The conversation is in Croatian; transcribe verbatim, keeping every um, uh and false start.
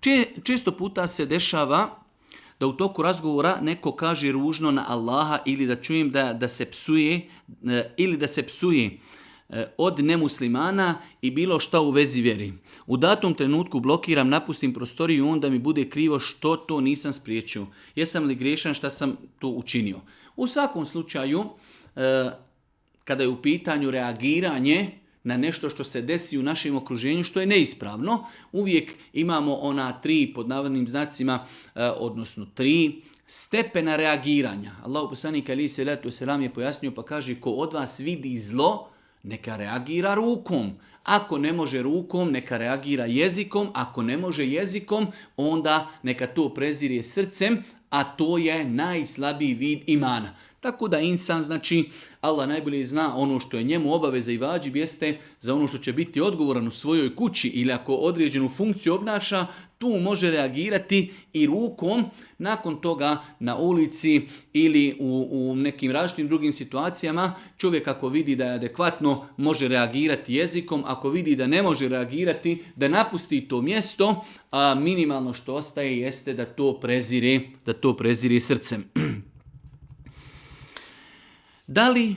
Če, često puta se dešava da u toku razgovora neko kaže ružno na Allaha ili da čujem da, da se psuje ili da se psuje od nemuslimana i bilo šta u vezi vjeri. U datom trenutku blokiram, napustim prostoriju i onda mi bude krivo što to nisam spriječio. Jesam li griješan šta sam to učinio? U svakom slučaju, kada je u pitanju reagiranje na nešto što se desi u našem okruženju, što je neispravno, uvijek imamo ona tri, pod navodnim znacima, odnosno tri stepena reagiranja. Allahu poslanik alejhi selatu selam je pojasnio pa kaže ko od vas vidi zlo, neka reagira rukom. Ako ne može rukom, neka reagira jezikom. Ako ne može jezikom, onda neka to prezire srcem, a to je najslabiji vid imana. Tako da insan, znači, Allah najbolje zna ono što je njemu obaveza i vađib jeste za ono što će biti odgovoran u svojoj kući ili ako određenu funkciju obnaša, tu može reagirati i rukom. Nakon toga na ulici ili u, u nekim različitim drugim situacijama čovjek ako vidi da je adekvatno može reagirati jezikom, ako vidi da ne može reagirati, da napusti to mjesto, a minimalno što ostaje jeste da to prezire, da to prezire srcem. Da li